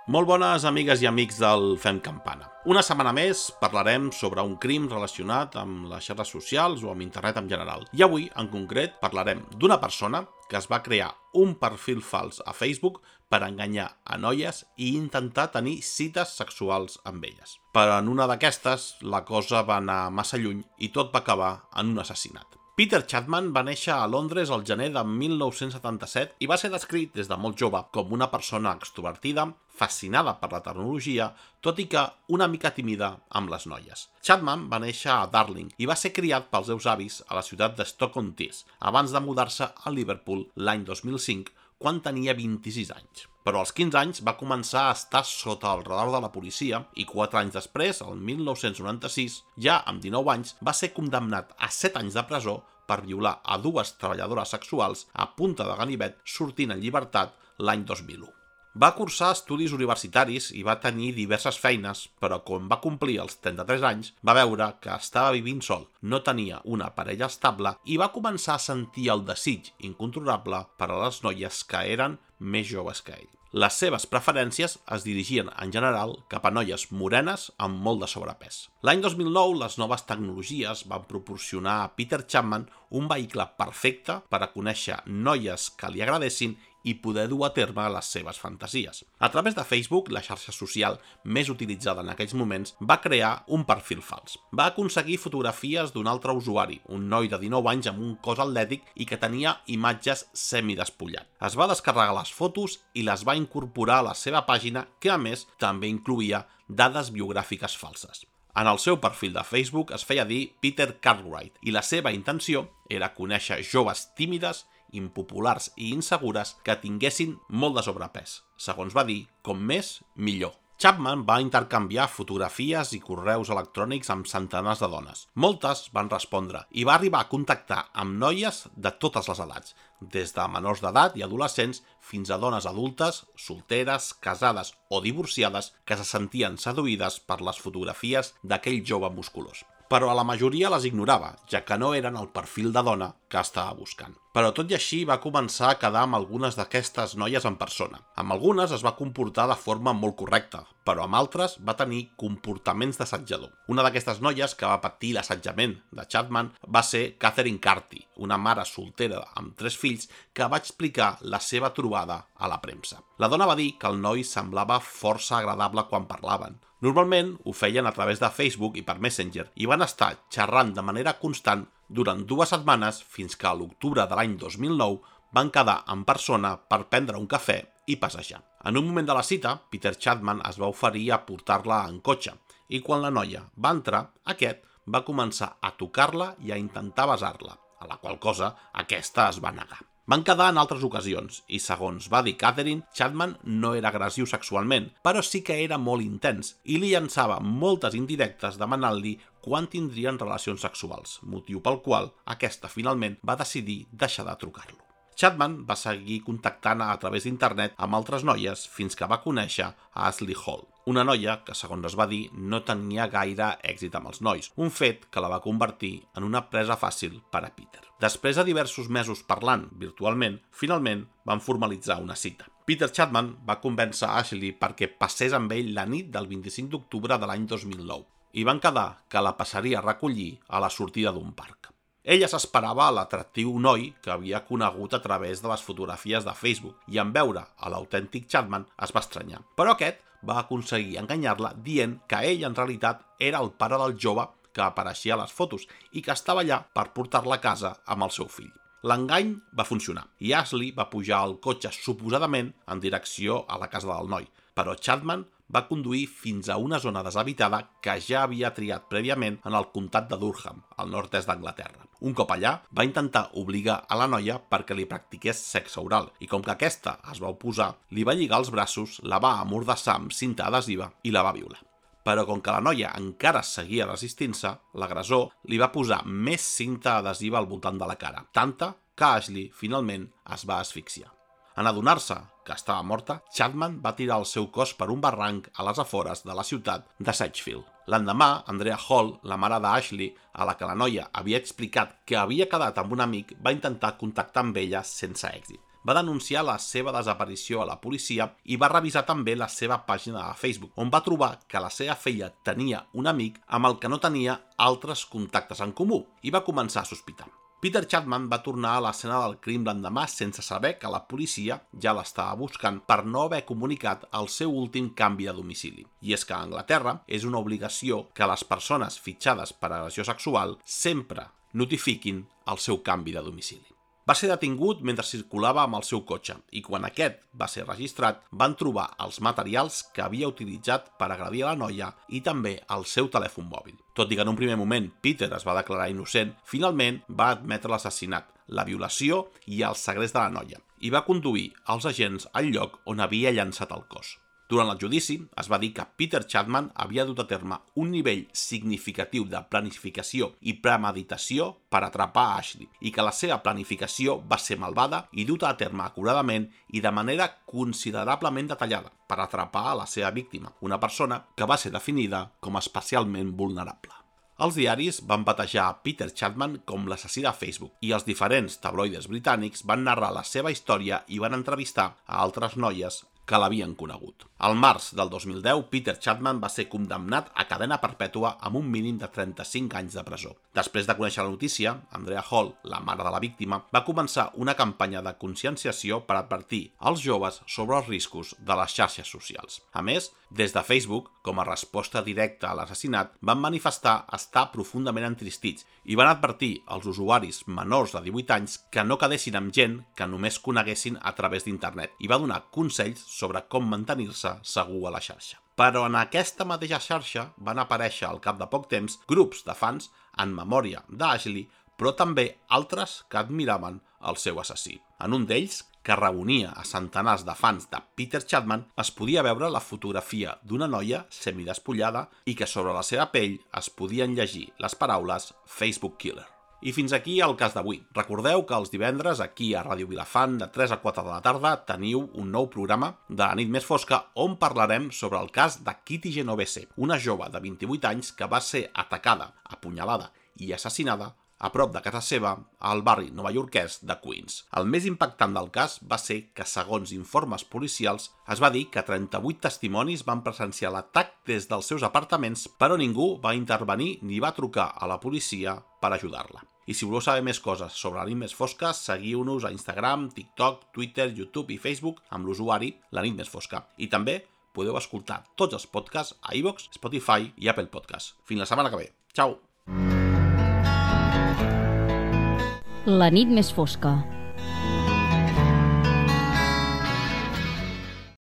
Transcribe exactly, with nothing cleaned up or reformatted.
Molt bones amigues i amics del Fem Campana. Una setmana més parlarem sobre un crim relacionat amb les xarxes socials o amb internet en general. I avui, en concret, parlarem d'una persona que es va crear un perfil fals a Facebook per enganyar a noies i intentar tenir cites sexuals amb elles. Però en una d'aquestes, la cosa va anar massa lluny i tot va acabar en un assassinat. Peter Chapman va néixer a Londres el gener de mil nou-cents setanta-set i va ser descrit des de molt jove com una persona extrovertida, fascinada per la tecnologia, tot i que una mica tímida amb les noies. Chapman va néixer a Darling i va ser criat pels seus avis a la ciutat de Stoke-on-Tees, abans de mudar-se a Liverpool l'any dos mil cinc, quan tenia vint-i-sis anys. Però als quinze anys va començar a estar sota el radar de la policia i quatre anys després, el mil nou-cents noranta-sis, ja amb dinou anys, va ser condemnat a set anys de presó per violar a dues treballadores sexuals a punta de ganivet sortint en llibertat l'any dos mil u. Va cursar estudis universitaris i va tenir diverses feines, però quan va complir els trenta-tres anys va veure que estava vivint sol, no tenia una parella estable i va començar a sentir el desig incontrolable per a les noies que eren més joves que ell. Les seves preferències es dirigien en general cap a noies morenes amb molt de sobrepès. L'any dos mil nou, les noves tecnologies van proporcionar a Peter Chapman un vehicle perfecte per a conèixer noies que li agradessin i poder dur a terme les seves fantasies. A través de Facebook, la xarxa social més utilitzada en aquells moments, va crear un perfil fals. Va aconseguir fotografies d'un altre usuari, un noi de dinou anys amb un cos atlètic i que tenia imatges semidespullat. Es va descarregar les fotos i les va incorporar a la seva pàgina, que a més també incloïa dades biogràfiques falses. En el seu perfil de Facebook es feia dir Peter Cartwright i la seva intenció era conèixer joves tímides, impopulars i insegures que tinguessin molt de sobrepès. Segons va dir, com més, millor. Chapman va intercanviar fotografies i correus electrònics amb centenars de dones. Moltes van respondre i va arribar a contactar amb noies de totes les edats, des de menors d'edat i adolescents fins a dones adultes, solteres, casades o divorciades que se sentien seduïdes per les fotografies d'aquell jove musculós. Però a la majoria les ignorava, ja que no eren el perfil de dona que estava buscant. Però tot i així va començar a quedar amb algunes d'aquestes noies en persona. Amb algunes es va comportar de forma molt correcta, però amb altres va tenir comportaments d'assetjador. Una d'aquestes noies que va patir l'assetjament de Chapman va ser Catherine Carty, una mare soltera amb tres fills que va explicar la seva trobada a la premsa. La dona va dir que el noi semblava força agradable quan parlaven. Normalment ho feien a través de Facebook i per Messenger i van estar xerrant de manera constant durant dues setmanes fins que a l'octubre de l'any dos mil nou van quedar en persona per prendre un cafè i passejar. En un moment de la cita, Peter Chapman es va oferir a portar-la en cotxe i quan la noia va entrar, aquest va començar a tocar-la i a intentar besar-la, a la qual cosa aquesta es va negar. Van quedar en altres ocasions i, segons va dir Catherine, Chapman no era agressiu sexualment, però sí que era molt intens i li llançava moltes indirectes demanant-li quan tindrien relacions sexuals, motiu pel qual aquesta finalment va decidir deixar de trucar-lo. Chapman va seguir contactant a través d'internet amb altres noies fins que va conèixer a Ashley Hall, una noia que, segons es va dir, no tenia gaire èxit amb els nois, un fet que la va convertir en una presa fàcil per a Peter. Després de diversos mesos parlant virtualment, finalment van formalitzar una cita. Peter Chapman va convèncer a Ashley perquè passés amb ell la nit del vint-i-cinc d'octubre de l'any dos mil nou i van quedar que la passaria a recollir a la sortida d'un parc. Ella s'esperava a l'atractiu noi que havia conegut a través de les fotografies de Facebook i en veure a l'autèntic Chapman es va estranyar. Però aquest va aconseguir enganyar-la dient que ell en realitat era el pare del jove que apareixia a les fotos i que estava allà per portar-la a casa amb el seu fill. L'engany va funcionar i Ashley va pujar al cotxe suposadament en direcció a la casa del noi, però Chapman va conduir fins a una zona deshabitada que ja havia triat prèviament en el comtat de Durham, al nord-est d'Anglaterra. Un cop allà, va intentar obligar a la noia perquè li practiqués sexe oral i com que aquesta es va oposar, li va lligar els braços, la va amordassar amb cinta adhesiva i la va violar. Però com que la noia encara seguia resistint-se, l'agressor li va posar més cinta adhesiva al voltant de la cara, tanta que Ashley finalment es va asfixiar. En adonar-se que estava morta, Chapman va tirar el seu cos per un barranc a les afores de la ciutat de Sedgefield. L'endemà, Andrea Hall, la mare d'Ashley, a la que la noia havia explicat que havia quedat amb un amic, va intentar contactar amb ella sense èxit. va denunciar la seva desaparició a la policia i va revisar també la seva pàgina de Facebook, on va trobar que la seva filla tenia un amic amb el que no tenia altres contactes en comú i va començar a sospitar. Peter Chapman va tornar a l'escena del crim l'endemà sense saber que la policia ja l'estava buscant per no haver comunicat el seu últim canvi de domicili. I és que a Anglaterra és una obligació que les persones fitxades per agressió sexual sempre notifiquin el seu canvi de domicili. Va ser detingut mentre circulava amb el seu cotxe i quan aquest va ser registrat van trobar els materials que havia utilitzat per agredir a la noia i també el seu telèfon mòbil. Tot i que en un primer moment Peter es va declarar innocent, finalment va admetre l'assassinat, la violació i el segrest de la noia i va conduir els agents al lloc on havia llançat el cos. Durant el judici es va dir que Peter Chapman havia dut a terme un nivell significatiu de planificació i premeditació per atrapar a Ashley i que la seva planificació va ser malvada i duta a terme acuradament i de manera considerablement detallada per atrapar a la seva víctima, una persona que va ser definida com especialment vulnerable. Els diaris van batejar a Peter Chapman com l'assassí de Facebook i els diferents tabloides britànics van narrar la seva història i van entrevistar a altres noies que l'havien conegut. Al març del dos mil deu, Peter Chapman va ser condemnat a cadena perpètua amb un mínim de trenta-cinc anys de presó. Després de conèixer la notícia, Andrea Hall, la mare de la víctima, va començar una campanya de conscienciació per advertir als joves sobre els riscos de les xarxes socials. A més, des de Facebook, com a resposta directa a l'assassinat, van manifestar estar profundament entristits i van advertir als usuaris menors de divuit anys que no quedessin amb gent que només coneguessin a través d'internet i va donar consells sobre com mantenir-se segur a la xarxa. Però en aquesta mateixa xarxa van aparèixer al cap de poc temps grups de fans en memòria d'Ashley, però també altres que admiraven el seu assassí. En un d'ells, que reunia a centenars de fans de Peter Chapman, es podia veure la fotografia d'una noia semidespullada i que sobre la seva pell es podien llegir les paraules Facebook Killer. I fins aquí el cas d'avui. Recordeu que els divendres aquí a Ràdio Vilafant de tres a quatre de la tarda teniu un nou programa de la nit més fosca on parlarem sobre el cas de Kitty Genovese, una jove de vint-i-vuit anys que va ser atacada, apunyalada i assassinada a prop de casa seva al barri novaiorquès de Queens. El més impactant del cas va ser que, segons informes policials, es va dir que trenta-vuit testimonis van presenciar l'atac des dels seus apartaments, però ningú va intervenir ni va trucar a la policia per ajudar-la. I si voleu saber més coses sobre la nit més fosca, seguiu-nos a Instagram, TikTok, Twitter, YouTube i Facebook amb l'usuari La Nit Més Fosca. I també podeu escoltar tots els podcasts a iVoox, Spotify i Apple Podcasts. Fins la setmana que ve. Ciao! La nit més fosca.